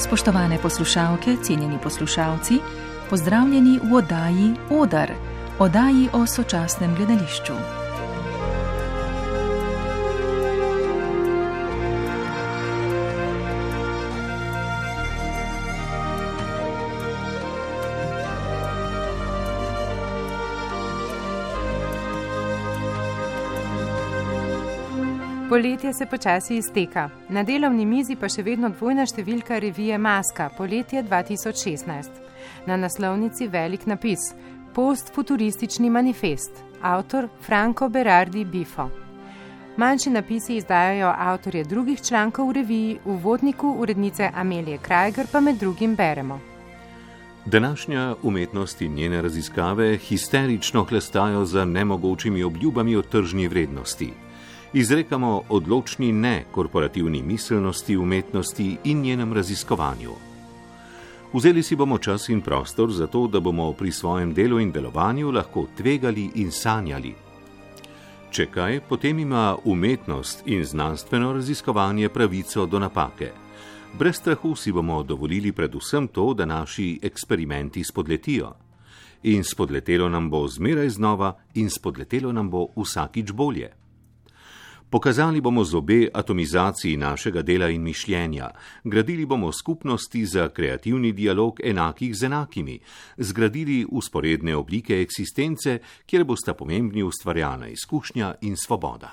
Spoštovane poslušalke, cenjeni poslušalci, pozdravljeni v oddaji Odar, oddaji o sočasnem gledališču. Poletje se počasi izteka. Na delovni mizi pa še vedno dvojna številka revije Maska, poletje 2016. Na naslovnici velik napis: Postfuturistični manifest. Avtor Franco Berardi Bifo. Manjši napisi izdajajo avtorje drugih člankov v reviji, v uvodniku urednice Amelije Krajger pa med drugim beremo. Današnja umetnost in njene raziskave histerično hlestajo za nemogočimi obljubami o tržni vrednosti. Izrekamo odločni ne korporativni miselnosti, umetnosti in njenem raziskovanju. Vzeli si bomo čas in prostor za to, da bomo pri svojem delu in delovanju lahko tvegali in sanjali. Če kaj, potem ima umetnost in znanstveno raziskovanje pravico do napake. Brez strahu si bomo dovolili predvsem to, da naši eksperimenti spodletijo. In spodletelo nam bo zmeraj znova in spodletelo nam bo vsakič bolje. Pokazali bomo zobe atomizaciji našega dela in mišljenja, gradili bomo skupnosti za kreativni dialog enakih z enakimi, zgradili vzporedne oblike eksistence, kjer bosta pomembni ustvarjalna izkušnja in svoboda.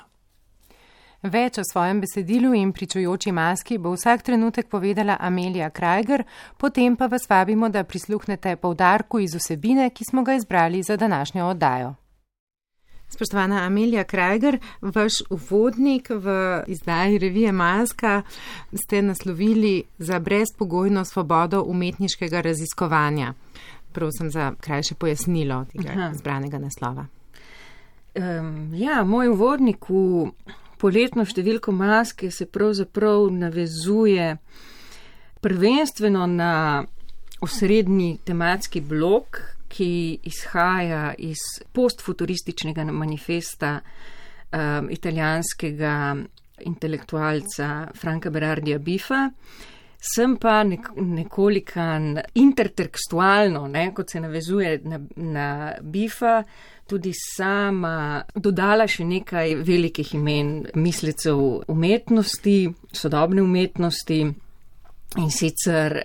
Več o svojem besedilu in pričujoči maski bo vsak trenutek povedala Amelija Krajger, potem pa vas vabimo, da prisluhnete poudarku iz vsebine, ki smo ga izbrali za današnjo oddajo. Spoštovana Amelija Krajger, vaš uvodnik v izdaji revije Maska ste naslovili za brezpogojno svobodo umetniškega raziskovanja. Prosim za krajše pojasnilo tega izbranega naslova. Moj uvodnik v poletno številko Maske se pravzaprav navezuje prvenstveno na osrednji tematski blok, ki izhaja iz postfuturističnega manifesta italijanskega intelektualca Franca Berardija Bifa. Sem pa nekolikan intertekstualno, kot se navezuje na Bifa, tudi sama dodala še nekaj velikih imen mislecev umetnosti, sodobne umetnosti, in sicer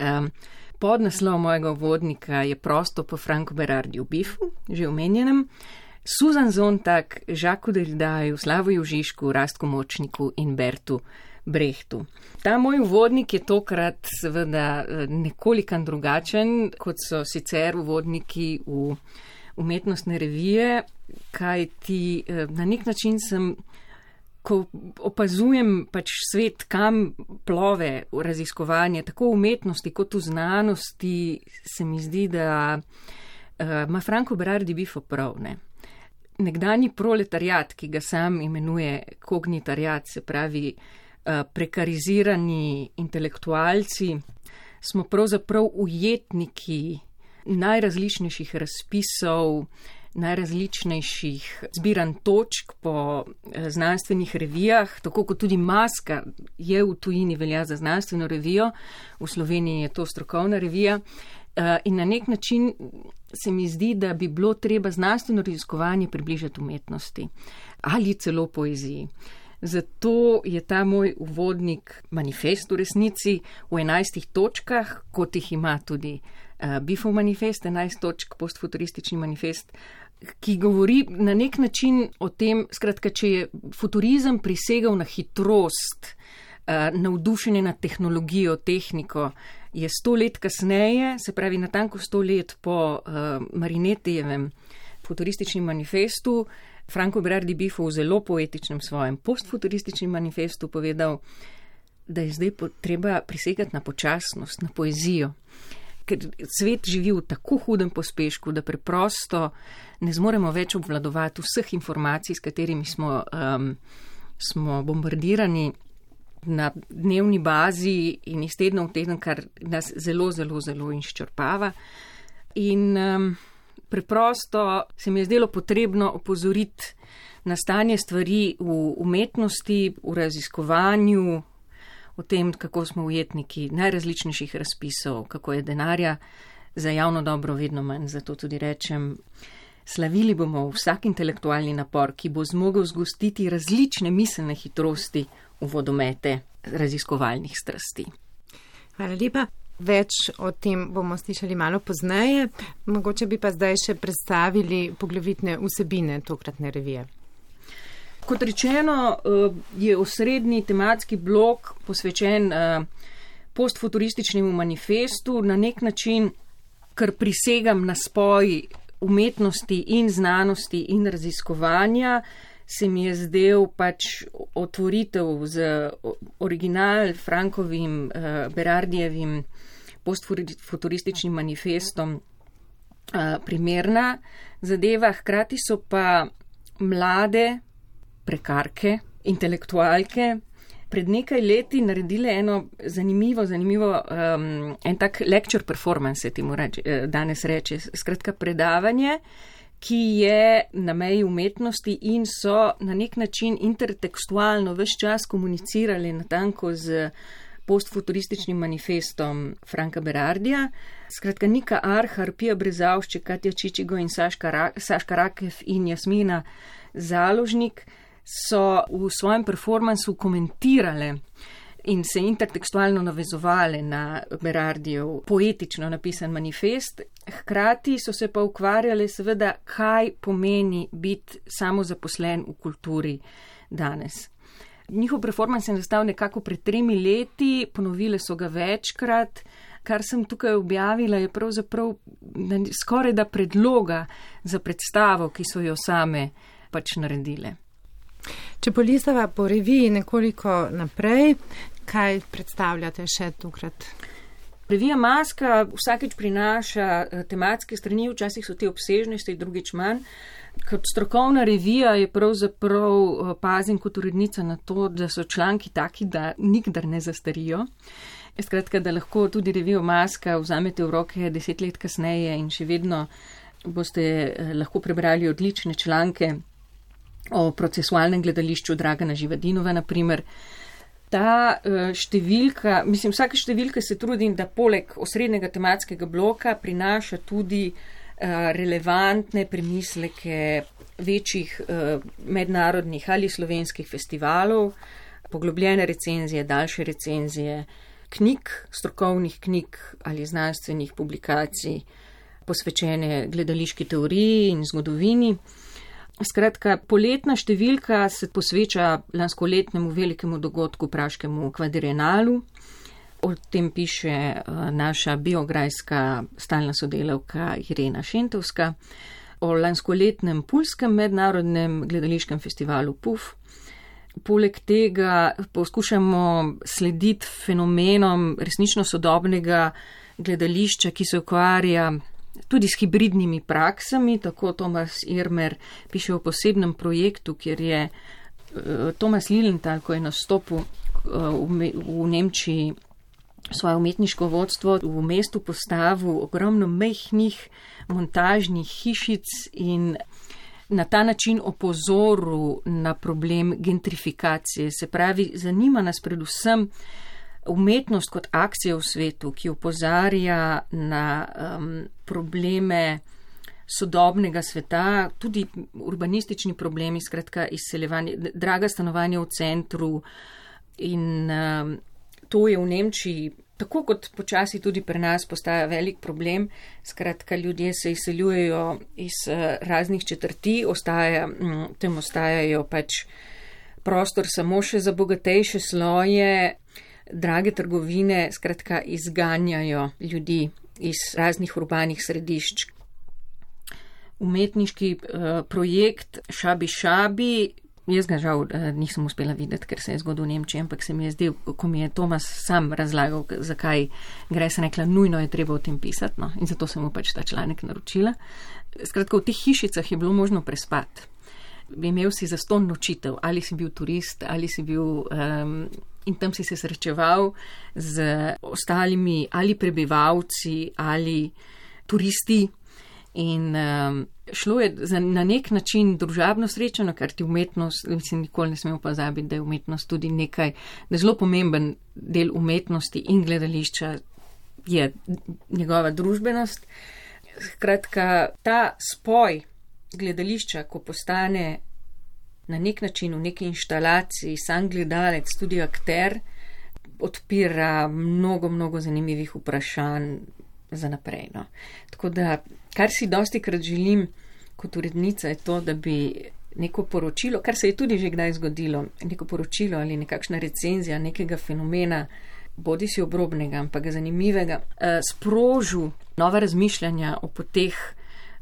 podnaslov mojega uvodnika je prosto po Francu Berardiju Bifu, že omenjenem, Susan Sontag, Jacques Derridaju, Slavoju Žižku, Rastku Močniku in Bertu Brechtu. Ta moj uvodnik je tokrat seveda nekolikan drugačen, kot so sicer uvodniki v umetnostne revije, kajti na nek način sem, ko opazujem svet, kam plove v raziskovanje, tako v umetnosti kot v znanosti, se mi zdi, da ima Franco Berardi Bifo prav. Nekdanji proletariat, ki ga sam imenuje kognitariat, se pravi prekarizirani intelektualci, smo pravzaprav ujetniki najrazličnejših razpisov, najrazličnejših zbiranj točk po znanstvenih revijah, tako kot tudi Maska je v tujini velja za znanstveno revijo, v Sloveniji je to strokovna revija, in na nek način se mi zdi, da bi bilo treba znanstveno raziskovanje približati umetnosti ali celo poeziji. Zato je ta moj uvodnik manifest v resnici v 11 točkah, kot jih ima tudi Bifov manifest, 11 točk, postfuturistični manifest, ki govori na nek način o tem, skratka, če je futurizem prisegal na hitrost, navdušenje nad tehnologijo, tehniko, je 100 let kasneje, se pravi natanko 100 let po Marinetijevem futurističnem manifestu, Franco Berardi Bifo v zelo poetičnem svojem postfuturističnem manifestu povedal, da je zdaj treba prisegati na počasnost, na poezijo. Ker svet živi v tako hudem pospešku, da preprosto ne zmoremo več obvladovati vseh informacij, s katerimi smo bombardirani na dnevni bazi in iz tedna v teden, kar nas zelo, zelo, zelo izčrpava. In preprosto se mi je zdelo potrebno opozoriti na stanje stvari v umetnosti, v raziskovanju, o tem, kako smo ujetniki najrazličnejših razpisov, kako je denarja za javno dobro vedno manj. Zato tudi rečem, slavili bomo vsak intelektualni napor, ki bo zmogel zgostiti različne miselne hitrosti v vodomete raziskovalnih strasti. Hvala lepa. Več o tem bomo slišali malo pozneje. Mogoče bi pa zdaj še predstavili poglavitne vsebine tokratne revije. Kot rečeno, je osrednji tematski blok posvečen postfuturističnemu manifestu, na nek način, kar prisegam na spoj umetnosti in znanosti in raziskovanja, se mi je zdel pač otvoritev z original Frankovim, Berardijevim postfuturističnim manifestom primerna zadeva. Hkrati so pa mlade prekarke, intelektualke pred nekaj leti naredile eno zanimivo, en tak lecture performance, se temu danes reče, skratka predavanje, ki je na meji umetnosti in so na nek način intertekstualno ves čas komunicirali natanko z postfuturističnim manifestom Franka Berardija. Skratka, Nika Arhar, Pija Brezavšček, Katja Čičigo in Saška Rakev in Jasmina Založnik so v svojem performansu komentirale in se intertekstualno navezovale na Berardijev poetično napisan manifest. Hkrati so se pa ukvarjale seveda, kaj pomeni biti samozaposlen v kulturi danes. Njihov performans je nastal nekako pred 3 leti, ponovile so ga večkrat. Kar sem tukaj objavila, je pravzaprav skoraj da predloga za predstavo, ki so jo same pač naredile. Če polistava po reviji nekoliko naprej, kaj predstavljate še tokrat? Revija Maska vsakeč prinaša tematske strani, včasih so te obsežnosti, drugič manj. Kot strokovna revija je pravzaprav pazim kot urednica na to, da so članki taki, da nikdar ne zastarijo. Skratka, da lahko tudi revijo Maska vzamete v roke 10 let kasneje in še vedno boste lahko prebrali odlične članke o procesualnem gledališču Dragana Živadinova, naprimer. Ta številka, vsaka številka se trudim, da poleg osrednjega tematskega bloka prinaša tudi relevantne premisleke večjih mednarodnih ali slovenskih festivalov, poglobljene recenzije, daljše recenzije knjig, strokovnih knjig ali znanstvenih publikacij, posvečene gledališki teoriji in zgodovini. Skratka, poletna številka se posveča lanskoletnemu velikemu dogodku praškemu kvadrienalu. O tem piše naša biograjska stalna sodelavka Irena Šentovska. O lanskoletnem pulskem mednarodnem gledališkem festivalu PUF. Poleg tega poskušamo slediti fenomenom resnično sodobnega gledališča, ki se ukvarja tudi s hibridnimi praksami. Tako Tomas Irmer piše o posebnem projektu, kjer je Tomas Lilienthal, ko je nastopil v Nemčiji svoje umetniško vodstvo, v mestu postavil ogromno majhnih montažnih hišic in na ta način opozoril na problem gentrifikacije. Se pravi, zanima nas predvsem umetnost kot akcija v svetu, ki opozarja na probleme sodobnega sveta, tudi urbanistični problemi, skratka izseljevanje, draga stanovanja v centru in to je v Nemčiji, tako kot počasi tudi pri nas, postaja velik problem. Skratka, ljudje se izseljujejo iz raznih četrti, tem ostajajo pač prostor samo še za bogatejše sloje, drage trgovine, skratka, izganjajo ljudi iz raznih urbanih središč. Umetniški projekt Šabi, jaz ga žal nisem uspela videti, ker se je zgodil v Nemčiji, ampak se mi je zdel, ko mi je Tomas sam razlagal, zakaj gre, se rekla, nujno je treba o tem pisati, no, in zato sem mu pač ta članek naročila. Skratka, v teh hišicah je bilo možno prespati. Imel si zastonj nočitev, ali si bil turist, ali si bil in tam si se srečeval z ostalimi ali prebivalci ali turisti In šlo je na nek način družabno srečano, ker ti umetnost, nikoli ne smemo pozabiti, da je umetnost tudi nekaj, da je zelo pomemben del umetnosti in gledališča je njegova družbenost. Skratka, ta spoj gledališča, ko postane na nek način v neki inštalaciji sam gledalec, tudi akter, odpira mnogo zanimivih vprašanj za naprej. No. Tako da, kar si dostikrat želim kot urednica, je to, da bi neko poročilo, kar se je tudi že kdaj zgodilo, neko poročilo ali nekakšna recenzija nekega fenomena, bodi si obrobnega, ampak zanimivega, sprožil nova razmišljanja o poteh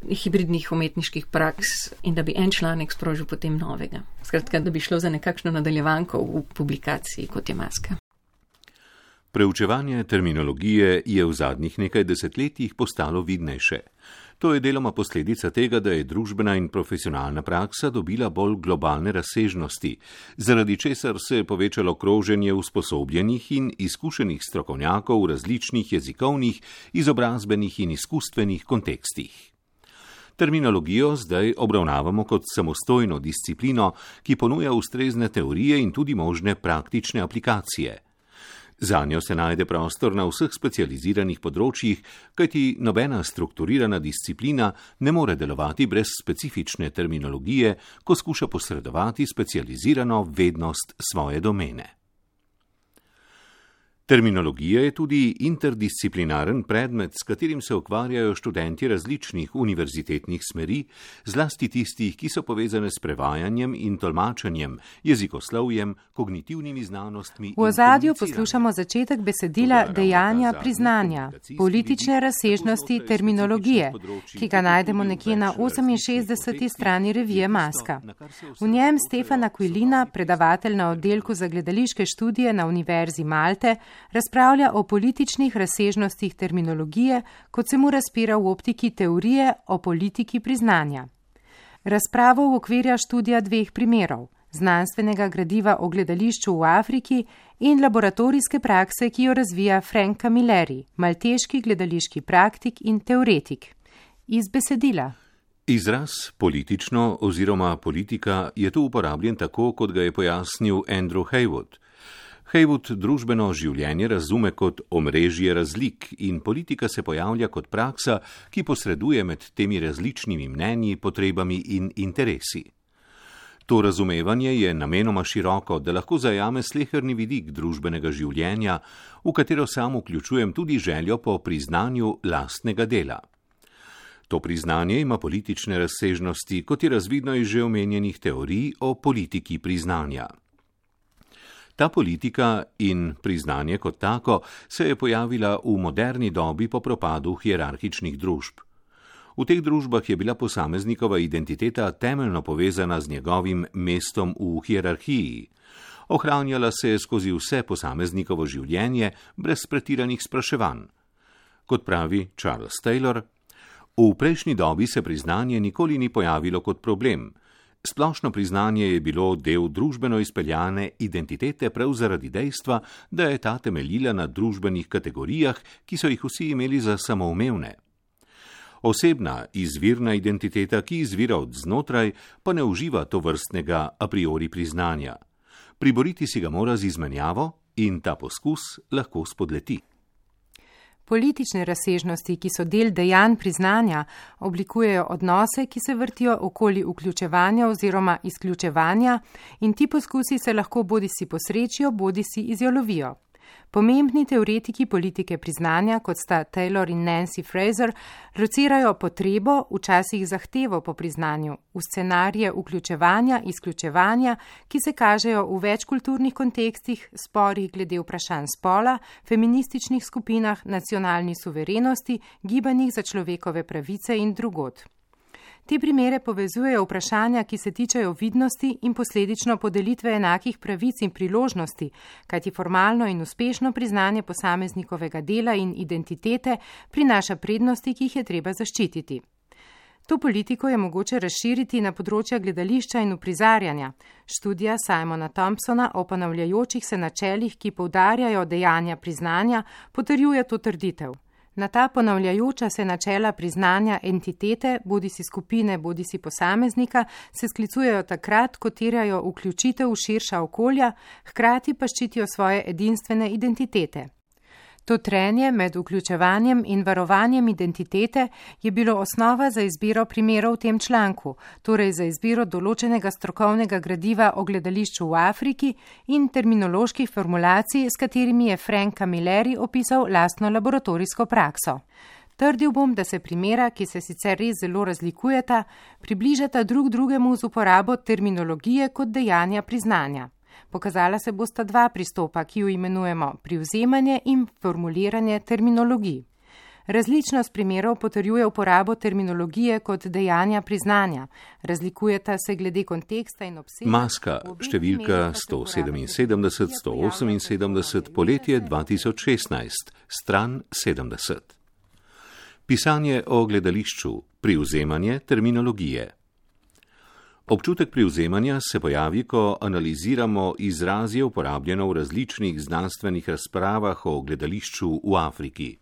hibridnih umetniških praks in da bi en članek sprožil potem novega. Skratka, da bi šlo za nekakšno nadaljevanko v publikaciji, kot je Maska. Preučevanje terminologije je v zadnjih nekaj desetletjih postalo vidnejše. To je deloma posledica tega, da je družbena in profesionalna praksa dobila bolj globalne razsežnosti, zaradi česar se je povečalo kroženje usposobljenih in izkušenih strokovnjakov v različnih jezikovnih, izobrazbenih in izkustvenih kontekstih. Terminologijo zdaj obravnavamo kot samostojno disciplino, ki ponuja ustrezne teorije in tudi možne praktične aplikacije. Zanjo se najde prostor na vseh specializiranih področjih, kajti nobena strukturirana disciplina ne more delovati brez specifične terminologije, ko skuša posredovati specializirano vednost svoje domene. Terminologija je tudi interdisciplinaren predmet, s katerim se ukvarjajo študenti različnih univerzitetnih smeri, zlasti tistih, ki so povezane s prevajanjem in tolmačenjem, jezikoslovjem, kognitivnimi znanostmi. V ozadju poslušamo začetek besedila dejanja priznanja, politične razsežnosti terminologije, ki ga najdemo nekje na 68. strani revije Maska. V njem Stefan Aquilina, predavatelj na oddelku za gledališke študije na Univerzi Malte, razpravlja o političnih razsežnostih terminologije, kot se mu razpira v optiki teorije o politiki priznanja. Razpravo uokvirja študija dveh primerov, znanstvenega gradiva o gledališču v Afriki in laboratorijske prakse, ki jo razvija Frank Camilleri, malteški gledališki praktik in teoretik. Iz besedila. Izraz politično oziroma politika je tu uporabljen tako, kot ga je pojasnil Andrew Haywood. Haywood družbeno življenje razume kot omrežje razlik in politika se pojavlja kot praksa, ki posreduje med temi različnimi mnenji, potrebami in interesi. To razumevanje je namenoma široko, da lahko zajame sleherni vidik družbenega življenja, v katero sam vključujem tudi željo po priznanju lastnega dela. To priznanje ima politične razsežnosti, kot je razvidno iz že omenjenih teorij o politiki priznanja. Ta politika in priznanje kot tako se je pojavila v moderni dobi po propadu hierarhičnih družb. V teh družbah je bila posameznikova identiteta temeljno povezana z njegovim mestom v hierarhiji. Ohranjala se je skozi vse posameznikovo življenje brez pretiranih spraševanj. Kot pravi Charles Taylor, v prejšnji dobi se priznanje nikoli ni pojavilo kot problem. Splošno priznanje je bilo del družbeno izpeljane identitete prav zaradi dejstva, da je ta temeljila na družbenih kategorijah, ki so jih vsi imeli za samoumevne. Osebna, izvirna identiteta, ki izvira od znotraj, pa ne uživa tovrstnega a priori priznanja. Priboriti si ga mora z izmenjavo in ta poskus lahko spodleti. Politične razsežnosti, ki so del dejanj priznanja, oblikujejo odnose, ki se vrtijo okoli vključevanja oziroma izključevanja in ti poskusi se lahko bodisi posrečijo, bodisi izjalovijo. Pomembni teoretiki politike priznanja, kot sta Taylor in Nancy Fraser, locirajo potrebo, včasih zahtevo po priznanju, v scenarije vključevanja, izključevanja, ki se kažejo v večkulturnih kontekstih, sporih glede vprašanj spola, feminističnih skupinah, nacionalni suverenosti, gibanjih za človekove pravice in drugod. Te primere povezujejo vprašanja, ki se tičejo vidnosti in posledično podelitve enakih pravic in priložnosti, kajti formalno in uspešno priznanje posameznikovega dela in identitete prinaša prednosti, ki jih je treba zaščititi. To politiko je mogoče razširiti na področja gledališča in uprizarjanja. Študija Simona Thompsona o ponavljajočih se načelih, ki poudarjajo dejanja priznanja, potrjuje to trditev. Na ta ponavljajoča se načela priznanja entitete, bodisi skupine, bodisi posameznika, se sklicujejo takrat, ko terjajo vključitev v širša okolja, hkrati pa ščitijo svoje edinstvene identitete. To trenje med vključevanjem in varovanjem identitete je bilo osnova za izbiro primerov v tem članku, torej za izbiro določenega strokovnega gradiva o gledališču v Afriki in terminoloških formulacij, s katerimi je Frank Camilleri opisal lastno laboratorijsko prakso. Trdil bom, da se primera, ki se sicer res zelo razlikujeta, približata drug drugemu z uporabo terminologije kot dejanja priznanja. Pokazala se bosta dva pristopa, ki ju imenujemo privzemanje in formuliranje terminologij. Različnost primerov potrjuje uporabo terminologije kot dejanja priznanja. Razlikujeta se glede konteksta in obsega. Maska, številka 177-178, poletje 2016, stran 70. Pisanje o gledališču, privzemanje terminologije. Občutek privzemanja se pojavi, ko analiziramo izrazje uporabljeno v različnih znanstvenih razpravah o gledališču v Afriki.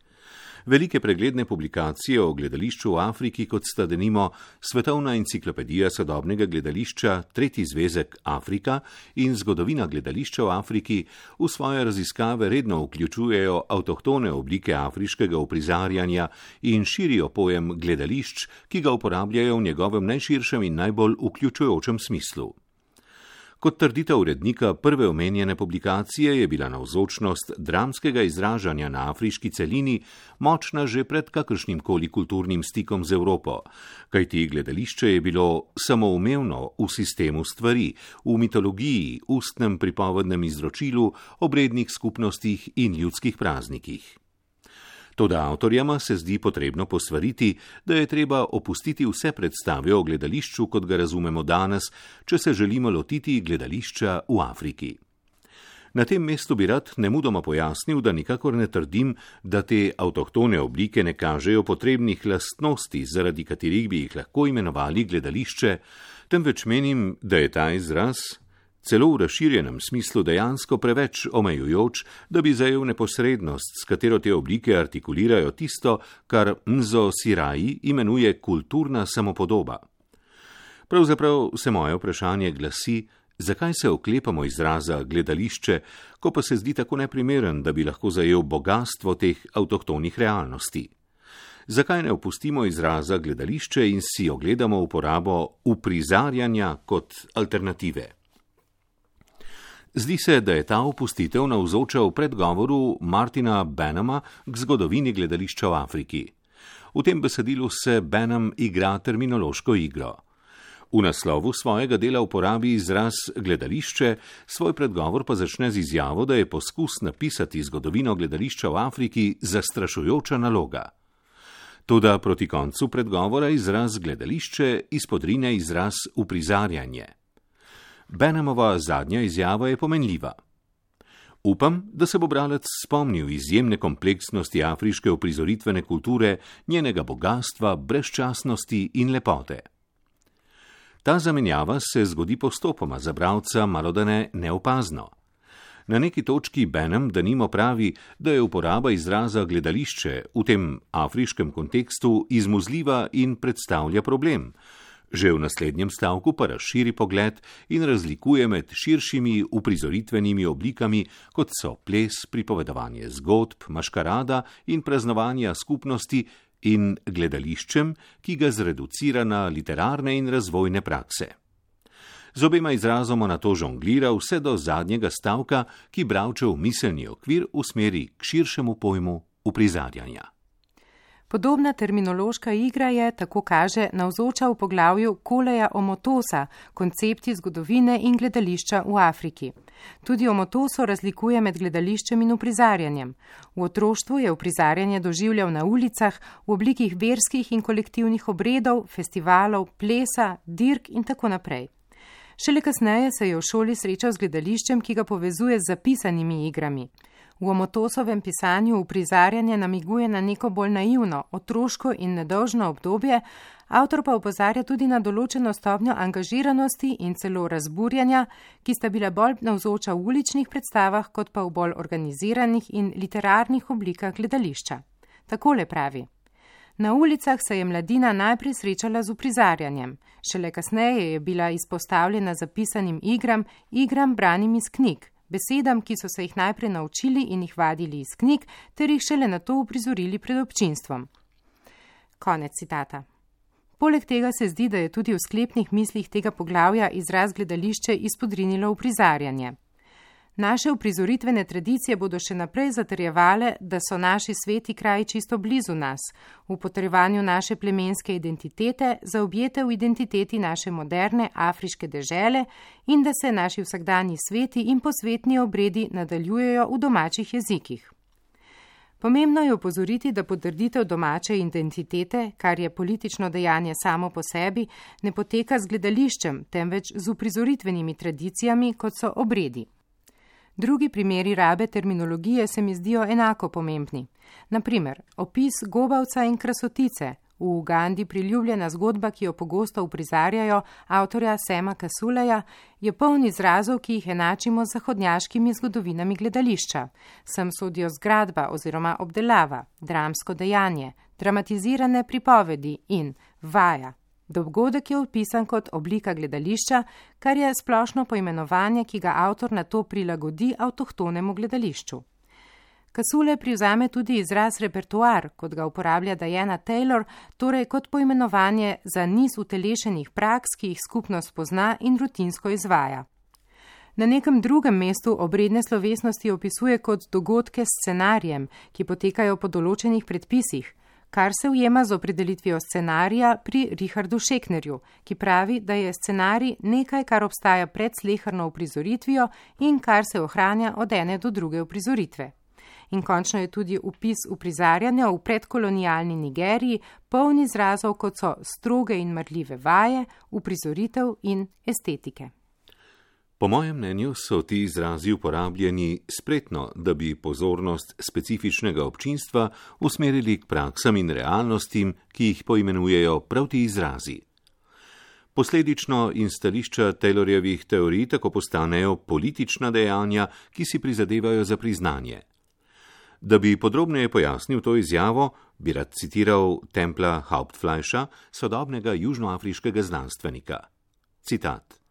Velike pregledne publikacije o gledališču v Afriki, kot sta denimo Svetovna enciklopedija sodobnega gledališča, Tretji zvezek Afrika in Zgodovina gledališča v Afriki, v svoje raziskave redno vključujejo avtohtone oblike afriškega uprizarjanja in širijo pojem gledališč, ki ga uporabljajo v njegovem najširšem in najbolj vključujočem smislu. Kot trditev urednika prve omenjene publikacije je bila navzočnost dramskega izražanja na afriški celini močna že pred kakršnimkoli kulturnim stikom z Evropo, kajti gledališče je bilo samoumevno v sistemu stvari, v mitologiji, ustnem pripovednem izročilu, obrednih skupnostih in ljudskih praznikih. Toda avtorjama se zdi potrebno posvariti, da je treba opustiti vse predstave o gledališču, kot ga razumemo danes, če se želimo lotiti gledališča v Afriki. Na tem mestu bi rad nemudoma pojasnil, da nikakor ne trdim, da te avtohtone oblike ne kažejo potrebnih lastnosti, zaradi katerih bi jih lahko imenovali gledališče, temveč menim, da je ta izraz celo v razširjenem smislu dejansko preveč omejujoč, da bi zajel neposrednost, s katero te oblike artikulirajo tisto, kar Nzo Sirai imenuje kulturna samopodoba. Pravzaprav se moje vprašanje glasi, zakaj se oklepamo izraza gledališče, ko pa se zdi tako neprimeren, da bi lahko zajel bogastvo teh avtohtonih realnosti. Zakaj ne opustimo izraza gledališče in si ogledamo uporabo uprizarjanja kot alternative? Zdi se, da je ta opustitev navzoča v predgovoru Martina Benhama k zgodovini gledališča v Afriki. V tem besedilu se Benham igra terminološko igro. V naslovu svojega dela uporabi izraz gledališče, svoj predgovor pa začne z izjavo, da je poskus napisati zgodovino gledališča v Afriki zastrašujoča naloga. Toda proti koncu predgovora izraz gledališče izpodrine izraz uprizarjanje. Benhamova zadnja izjava je pomenljiva. Upam, da se bo bralec spomnil izjemne kompleksnosti afriške uprizoritvene kulture, njenega bogatstva, brezčasnosti in lepote. Ta zamenjava se zgodi postopoma, za bralca malodane neopazno. Na neki točki Benham denimo pravi, da je uporaba izraza gledališče v tem afriškem kontekstu izmuzljiva in predstavlja problem. Že v naslednjem stavku pa razširi pogled in razlikuje med širšimi uprizoritvenimi oblikami, kot so ples, pripovedovanje zgodb, maškarada in praznovanja skupnosti, in gledališčem, ki ga zreducira na literarne in razvojne prakse. Z obema izrazoma na to žonglira vse do zadnjega stavka, ki bralčev miselni okvir usmeri k širšemu pojmu uprizarjanja. Podobna terminološka igra je, tako kaže, navzoča v poglavju Koleja Omotosa, koncepti zgodovine in gledališča v Afriki. Tudi Omotoso razlikuje med gledališčem in uprizarjanjem. V otroštvu je uprizarjanje doživljal na ulicah v oblikih verskih in kolektivnih obredov, festivalov, plesa, dirk in tako naprej. Šele kasneje se je v šoli srečal z gledališčem, ki ga povezuje z zapisanimi igrami. V Omotosovem pisanju uprizarjanje namiguje na neko bolj naivno, otroško in nedolžno obdobje, avtor pa opozarja tudi na določeno stopnjo angažiranosti in celo razburjanja, ki sta bila bolj navzoča v uličnih predstavah, kot pa v bolj organiziranih in literarnih oblikah gledališča. Takole pravi: Na ulicah se je mladina najprej srečala z uprizarjanjem, šele kasneje je bila izpostavljena zapisanim igram branim iz knjig, besedam, ki so se jih najprej naučili in jih vadili iz knjig, ter jih šele nato uprizorili pred občinstvom. Konec citata. Poleg tega se zdi, da je tudi v sklepnih mislih tega poglavja izraz gledališče izpodrinilo uprizarjanje. Naše uprizoritvene tradicije bodo še naprej zatrjevale, da so naši sveti kraji čisto blizu nas, v potrjevanju naše plemenske identitete, zaobjete v identiteti naše moderne afriške dežele in da se naši vsakdanji sveti in posvetni obredi nadaljujejo v domačih jezikih. Pomembno je opozoriti, da potrditev domače identitete, kar je politično dejanje samo po sebi, ne poteka z gledališčem, temveč z uprizoritvenimi tradicijami, kot so obredi. Drugi primeri rabe terminologije se mi zdijo enako pomembni. Naprimer, opis gobavca in krasotice, v Ugandi priljubljena zgodba, ki jo pogosto uprizarjajo avtorja Sema Kasuleja, je poln izrazov, ki jih enačimo z zahodnjaškimi zgodovinami gledališča. Sem sodijo zgradba oziroma obdelava, dramsko dejanje, dramatizirane pripovedi in vaja. Dogodek je opisan kot oblika gledališča, kar je splošno poimenovanje, ki ga avtor nato prilagodi avtohtonemu gledališču. Kasule privzame tudi izraz repertoar, kot ga uporablja Diana Taylor, torej kot poimenovanje za niz utelešenih praks, ki jih skupnost pozna in rutinsko izvaja. Na nekem drugem mestu obredne slovesnosti opisuje kot dogodke s scenarijem, ki potekajo po določenih predpisih, kar se ujema z opredelitvijo scenarija pri Richardu Scheknerju, ki pravi, da je scenarij nekaj, kar obstaja pred sleherno uprizoritvijo in kar se ohranja od ene do druge uprizoritve. In končno je tudi opis uprizarjanja v predkolonialni Nigeriji poln izrazov, kot so stroge in marljive vaje, uprizoritev in estetike. Po mojem mnenju so ti izrazi uporabljeni spretno, da bi pozornost specifičnega občinstva usmerili k praksam in realnostim, ki jih poimenujejo prav ti izrazi. Posledično in stališča Taylorjevih teorij tako postanejo politična dejanja, ki si prizadevajo za priznanje. Da bi podrobneje pojasnil to izjavo, bi rad citiral Templa Hauptfleischa, sodobnega južnoafriškega znanstvenika. Citat.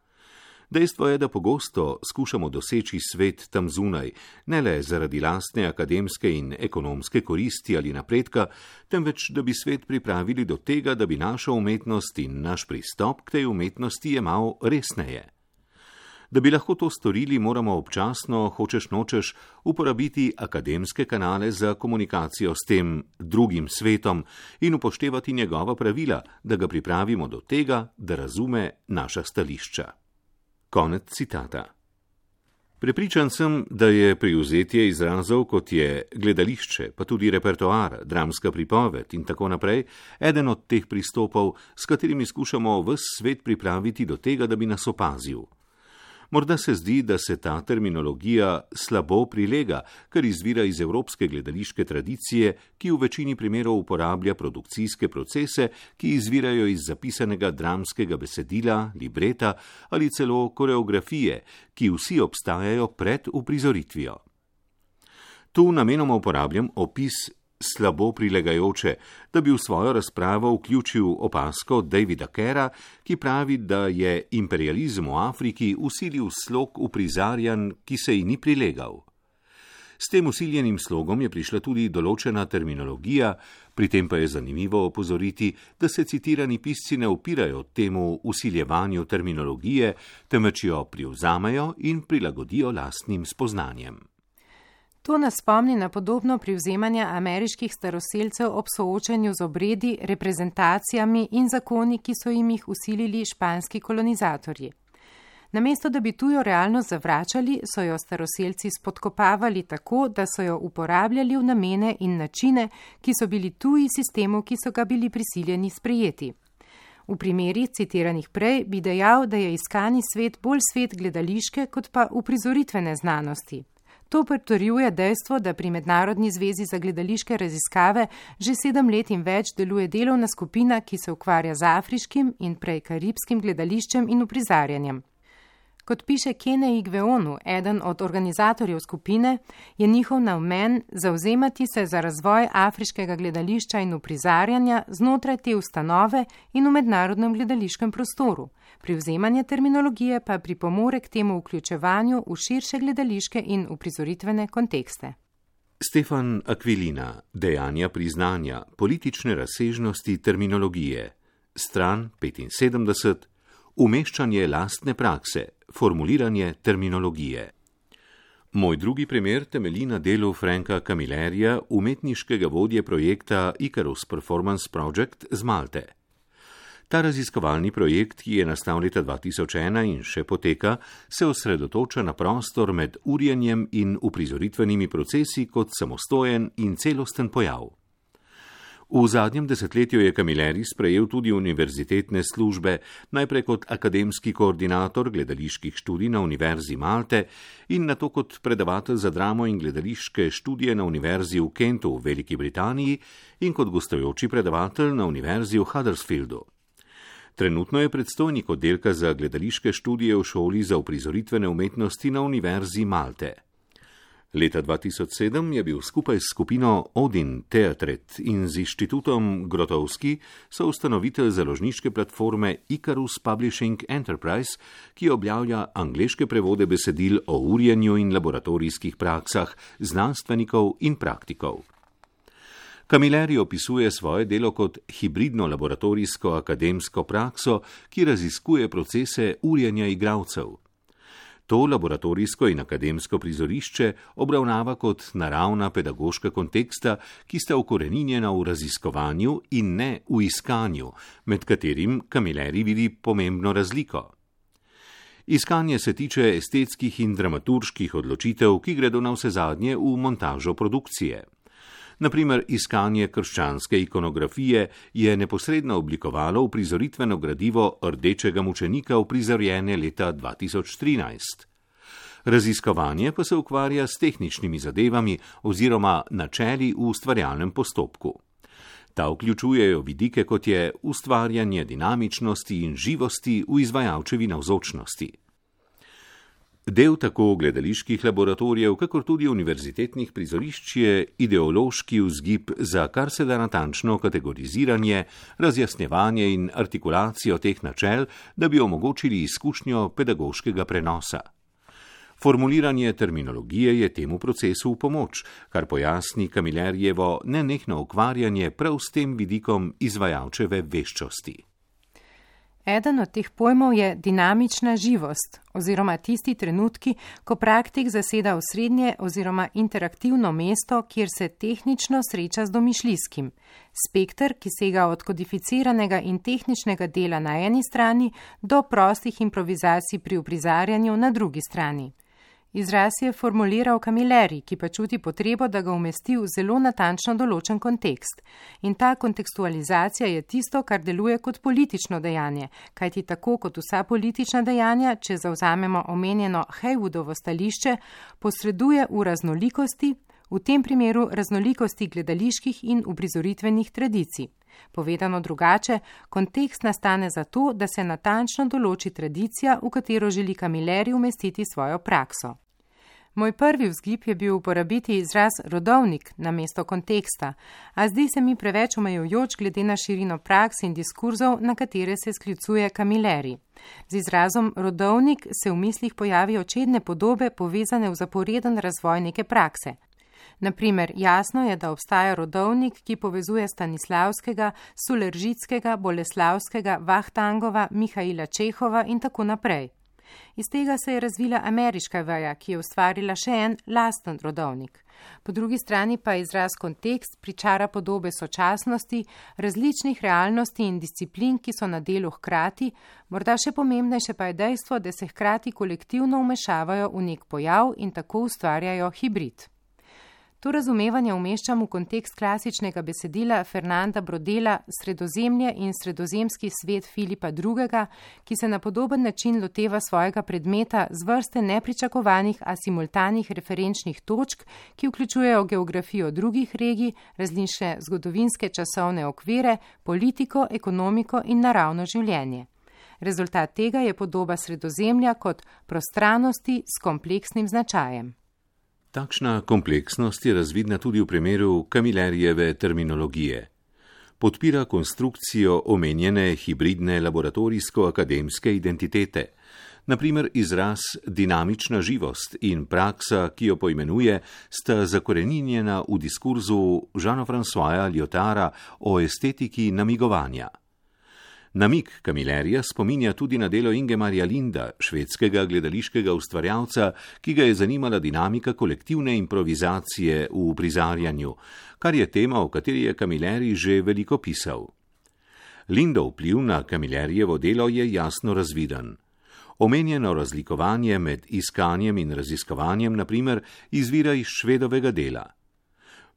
Dejstvo je, da pogosto skušamo doseči svet tam zunaj, ne le zaradi lastne akademske in ekonomske koristi ali napredka, temveč da bi svet pripravili do tega, da bi našo umetnost in naš pristop k tej umetnosti jemal resneje. Da bi lahko to storili, moramo občasno, hočeš nočeš, uporabiti akademske kanale za komunikacijo s tem drugim svetom in upoštevati njegova pravila, da ga pripravimo do tega, da razume naša stališča. Konec citata. Prepričan sem, da je privzetje izrazov, kot je gledališče, pa tudi repertoar, dramska pripoved in tako naprej, eden od teh pristopov, s katerimi skušamo ves svet pripraviti do tega, da bi nas opazil. Morda se zdi, da se ta terminologija slabo prilega, kar izvira iz evropske gledališke tradicije, ki v večini primerov uporablja produkcijske procese, ki izvirajo iz zapisanega dramskega besedila, libreta ali celo koreografije, ki vsi obstajajo pred uprizoritvijo. Tu namenoma uporabljam opis slabo prilegajoče, da bi v svojo razpravo vključil opazko Davida Kera, ki pravi, da je imperializem v Afriki vsilil slog uprizarjanj, ki se ji ni prilegal. S tem vsiljenim slogom je prišla tudi določena terminologija, pri tem pa je zanimivo opozoriti, da se citirani pisci ne upirajo temu vsiljevanju terminologije, temveč jo privzamejo in prilagodijo lastnim spoznanjem. To nas spomni na podobno privzemanje ameriških staroselcev ob soočanju z obredi, reprezentacijami in zakoni, ki so jim jih vsilili španski kolonizatorji. Namesto da bi tujo realnost zavračali, so jo staroselci spodkopavali tako, da so jo uporabljali v namene in načine, ki so bili tuji sistemu, ki so ga bili prisiljeni sprejeti. V primerih citiranih prej bi dejal, da je iskani svet bolj svet gledališke kot pa uprizoritvene znanosti. To potrjuje dejstvo, da pri Mednarodni zvezi za gledališke raziskave že 7 let in več deluje delovna skupina, ki se ukvarja z afriškim in prej karibskim gledališčem in uprizarjanjem. Kot piše Kene Igveonu, eden od organizatorjev skupine, je njihov namen zavzemati se za razvoj afriškega gledališča in uprizarjanja znotraj te ustanove in v mednarodnem gledališkem prostoru. Privzemanje terminologije pa pripomore k temu vključevanju v širše gledališke in uprizoritvene kontekste. Stefan Aquilina, dejanja priznanja, politične razsežnosti terminologije, stran 75, umeščanje lastne prakse, formuliranje terminologije. Moj drugi primer temelji na delu Franka Camillerija, umetniškega vodje projekta Icarus Performance Project z Malte. Ta raziskovalni projekt, ki je nastal leta 2001 in še poteka, se osredotoča na prostor med urjenjem in uprizoritvenimi procesi kot samostojen in celosten pojav. V zadnjem desetletju je Camilleri sprejel tudi univerzitetne službe, najprej kot akademski koordinator gledaliških študij na Univerzi Malte in nato kot predavatelj za dramo in gledališke študije na Univerzi v Kentu v Veliki Britaniji in kot gostujoči predavatelj na Univerzi v Huddersfieldu. Trenutno je predstojnik oddelka za gledališke študije v šoli za uprizoritvene umetnosti na Univerzi Malte. Leta 2007 je bil skupaj s skupino Odin Teatret in z inštitutom Grotowski soustanovitelj založniške platforme Icarus Publishing Enterprise, ki objavlja angleške prevode besedil o urjenju in laboratorijskih praksah znanstvenikov in praktikov. Camilleri opisuje svoje delo kot hibridno laboratorijsko akademsko prakso, ki raziskuje procese urjenja igralcev. To laboratorijsko in akademsko prizorišče obravnava kot naravna pedagoška konteksta, ki sta ukoreninjena v raziskovanju in ne v iskanju, med katerim Camilleri vidi pomembno razliko. Iskanje se tiče estetskih in dramaturških odločitev, ki gredo navsezadnje v montažo produkcije. Naprimer, iskanje krščanske ikonografije je neposredno oblikovalo uprizoritveno gradivo Rdečega mučenika uprizorjene leta 2013. Raziskovanje pa se ukvarja s tehničnimi zadevami oziroma načeli v ustvarjalnem postopku. Ta vključujejo vidike, kot je ustvarjanje dinamičnosti in živosti v izvajalčevi navzočnosti. Del tako gledaliških laboratorijev, kakor tudi univerzitetnih prizorišč je ideološki vzgib za kar se da natančno kategoriziranje, razjasnjevanje in artikulacijo teh načel, da bi omogočili izkušnjo pedagoškega prenosa. Formuliranje terminologije je temu procesu v pomoč, kar pojasni Camillerjevo nenehno ukvarjanje prav s tem vidikom izvajalčeve veščosti. Eden od teh pojmov je dinamična živost oziroma tisti trenutki, ko praktik zaseda osrednje oziroma interaktivno mesto, kjer se tehnično sreča z domišljijskim. Spekter, ki sega od kodificiranega in tehničnega dela na eni strani do prostih improvizacij pri uprizarjanju na drugi strani. Izraz je formuliral Camilleri, ki pa čuti potrebo, da ga umesti v zelo natančno določen kontekst. In ta kontekstualizacija je tisto, kar deluje kot politično dejanje, kajti tako kot vsa politična dejanja, če zavzamemo omenjeno Haywoodovo stališče, posreduje v raznolikosti, v tem primeru raznolikosti gledaliških in uprizoritvenih tradicij. Povedano drugače, kontekst nastane zato, da se natančno določi tradicija, v katero želi Camilleri umestiti svojo prakso. Moj prvi vzgib je bil uporabiti izraz rodovnik namesto konteksta, a zdi se mi preveč omejujoč glede na širino praks in diskurzov, na katere se sklicuje Camilleri. Z izrazom rodovnik se v mislih pojavijo čedne podobe povezane v zaporeden razvoj neke prakse. Naprimer, jasno je, da obstaja rodovnik, ki povezuje Stanislavskega, Suleržitskega, Boleslavskega, Vahtangova, Mihaila Čehova in tako naprej. Iz tega se je razvila ameriška veja, ki je ustvarila še en lasten rodovnik. Po drugi strani pa izraz kontekst pričara podobe sočasnosti, različnih realnosti in disciplin, ki so na delu hkrati, morda še pomembnejše pa je dejstvo, da se hkrati kolektivno vmešavajo v nek pojav in tako ustvarjajo hibrid. To razumevanje umeščam v kontekst klasičnega besedila Fernanda Brodela Sredozemlje in sredozemski svet Filipa II., ki se na podoben način loteva svojega predmeta z vrste nepričakovanih, a simultanih referenčnih točk, ki vključujejo geografijo drugih regij, različne zgodovinske časovne okvire, politiko, ekonomiko in naravno življenje. Rezultat tega je podoba Sredozemlja kot prostranosti s kompleksnim značajem. Takšna kompleksnost je razvidna tudi v primeru Camillerijeve terminologije. Podpira konstrukcijo omenjene hibridne laboratorijsko-akademske identitete. Naprimer, izraz dinamična živost in praksa, ki jo poimenuje, sta zakoreninjena v diskurzu Jeana-Françoisa Lyotara o estetiki namigovanja. Namig Camillerija spominja tudi na delo Ingemarja Linda, švedskega gledališkega ustvarjalca, ki ga je zanimala dinamika kolektivne improvizacije v uprizarjanju, kar je tema, o kateri je Camilleri že veliko pisal. Lindov vpliv na Camillerijevo delo je jasno razviden. Omenjeno razlikovanje med iskanjem in raziskovanjem, na primer, izvira iz Švedovega dela.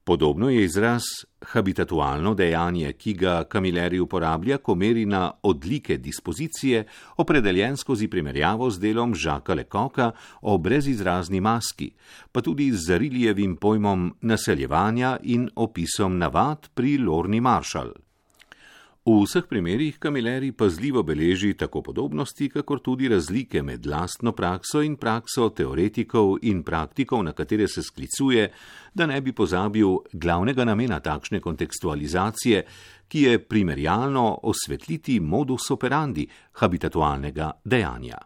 Podobno je izraz habitatualno dejanje, ki ga Camilleri uporablja, ko meri na odlike dispozicije, opredeljen skozi primerjavo z delom Jacquesa Lecoqa o brezizrazni maski, pa tudi z Zariljevim pojmom naseljevanja in opisom navad pri Lorni Marshall. V vseh primerih Camilleri pazljivo beleži tako podobnosti, kakor tudi razlike med lastno prakso in prakso teoretikov in praktikov, na katere se sklicuje, da ne bi pozabil glavnega namena takšne kontekstualizacije, ki je primerjalno osvetliti modus operandi habitatualnega dejanja.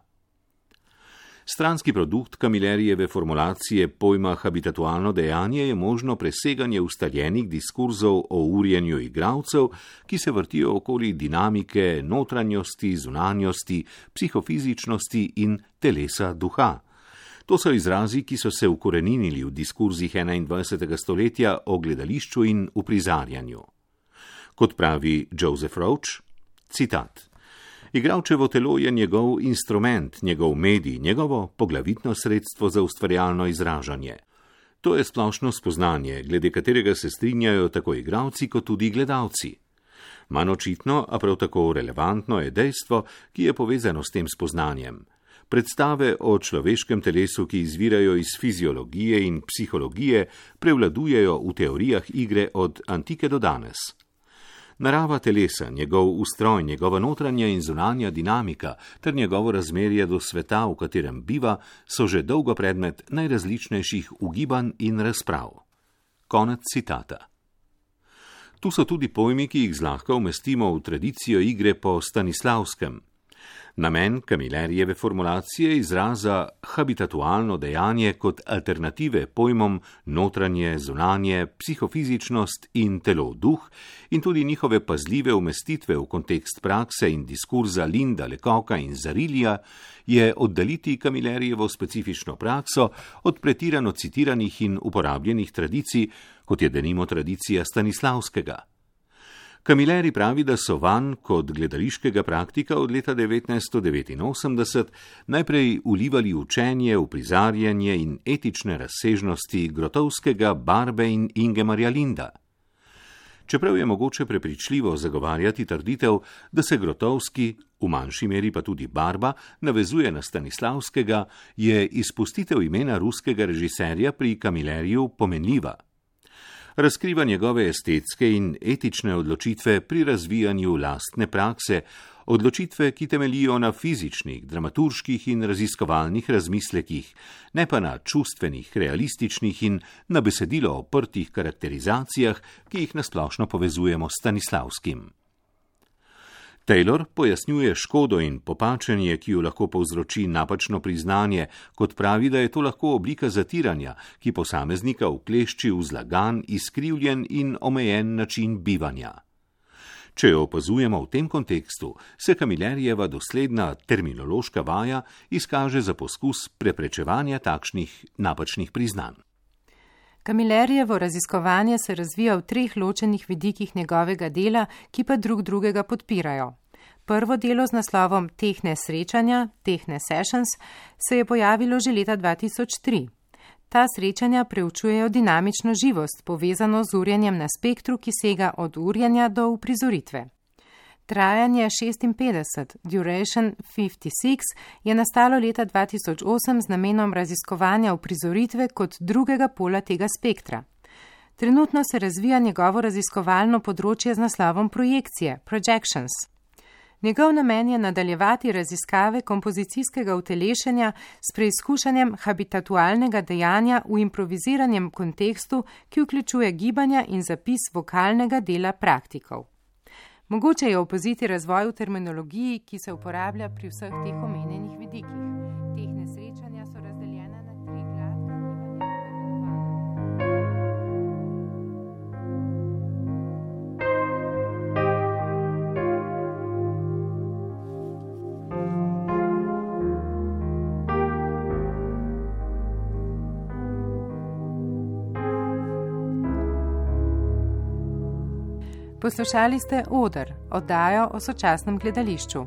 Stranski produkt Camillerijeve formulacije pojma habitatualno dejanje je možno preseganje ustaljenih diskurzov o urjenju igralcev, ki se vrtijo okoli dinamike, notranjosti, zunanjosti, psihofizičnosti in telesa duha. To so izrazi, ki so se ukoreninili v diskurzih 21. stoletja o gledališču in uprizarjanju. Kot pravi Joseph Roach, citat: Igralčevo telo je njegov instrument, njegov medij, njegovo poglavitno sredstvo za ustvarjalno izražanje. To je splošno spoznanje, glede katerega se strinjajo tako igralci kot tudi gledalci. Manj očitno, a prav tako relevantno je dejstvo, ki je povezano s tem spoznanjem. Predstave o človeškem telesu, ki izvirajo iz fiziologije in psihologije, prevladujejo v teorijah igre od antike do danes. Narava telesa, njegov ustroj, njegova notranja in zunanja dinamika ter njegovo razmerje do sveta, v katerem biva, so že dolgo predmet najrazličnejših ugibanj in razprav. Konec citata. Tu so tudi pojmi, ki jih zlahka umestimo v tradicijo igre po Stanislavskem. Namen Camillerijeve formulacije izraza habitatualno dejanje kot alternative pojmom notranje, zunanje, psihofizičnost in telo-duh in tudi njihove pazljive umestitve v kontekst prakse in diskurza Linda, Lecoqa in Zarilija je oddaliti Camillerijevo specifično prakso od pretirano citiranih in uporabljenih tradicij, kot je denimo tradicija Stanislavskega. Camilleri pravi, da so vanj kot gledališkega praktika od leta 1989 najprej vlivali učenje, uprizarjanje in etične razsežnosti Grotovskega, Barbe in Ingemarja Linda. Čeprav je mogoče prepričljivo zagovarjati trditev, da se Grotovski, v manjši meri pa tudi Barba, navezuje na Stanislavskega, je izpustitev imena ruskega režiserja pri Camilleriju pomenljiva. Razkriva njegove estetske in etične odločitve pri razvijanju lastne prakse, odločitve, ki temeljijo na fizičnih, dramaturških in raziskovalnih razmislekih, ne pa na čustvenih, realističnih in na besedilo oprtih karakterizacijah, ki jih nasplošno povezujemo s Stanislavskim. Taylor pojasnjuje škodo in popačenje, ki jo lahko povzroči napačno priznanje, kot pravi, da je to lahko oblika zatiranja, ki posameznika uklešči v zlagan, izkrivljen in omejen način bivanja. Če jo opazujemo v tem kontekstu, se Camillerijeva dosledna terminološka vaja izkaže za poskus preprečevanja takšnih napačnih priznanj. Camillerijevo raziskovanje se razvija v 3 ločenih vidikih njegovega dela, ki pa drug drugega podpirajo. Prvo delo z naslovom Tehne srečanja, Tehne sessions, se je pojavilo že leta 2003. Ta srečanja preučujejo dinamično živost, povezano z urjenjem na spektru, ki sega od urjenja do uprizoritve. Trajanje 56, duration 56, je nastalo leta 2008 z namenom raziskovanja uprizoritve kot drugega pola tega spektra. Trenutno se razvija njegovo raziskovalno področje z naslovom projekcije, projections. Njegov namen je nadaljevati raziskave kompozicijskega utelešenja s preizkušanjem habitatualnega dejanja v improviziranem kontekstu, ki vključuje gibanja in zapis vokalnega dela praktikov. Mogoče je opaziti razvoj v terminologiji, ki se uporablja pri vseh teh omenjenih vidikih. Tehne srečanja so razdeljene na 3 gladka Poslušali ste Oder, oddajo o sočasnem gledališču.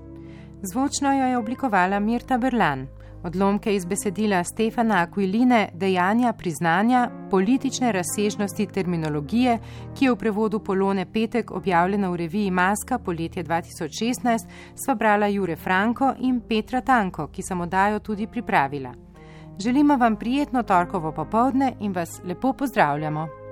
Zvočno jo je oblikovala Mirta Berlan. Odlomke iz besedila Stefana Aquiline Dejanja priznanja, politične razsežnosti terminologije, ki je v prevodu Polone Petek objavljena v reviji Maska poletje 2016, sva brala Jure Franko in Petra Tanko, ki sem oddajo tudi pripravila. Želimo vam prijetno torkovo popoldne in vas lepo pozdravljamo.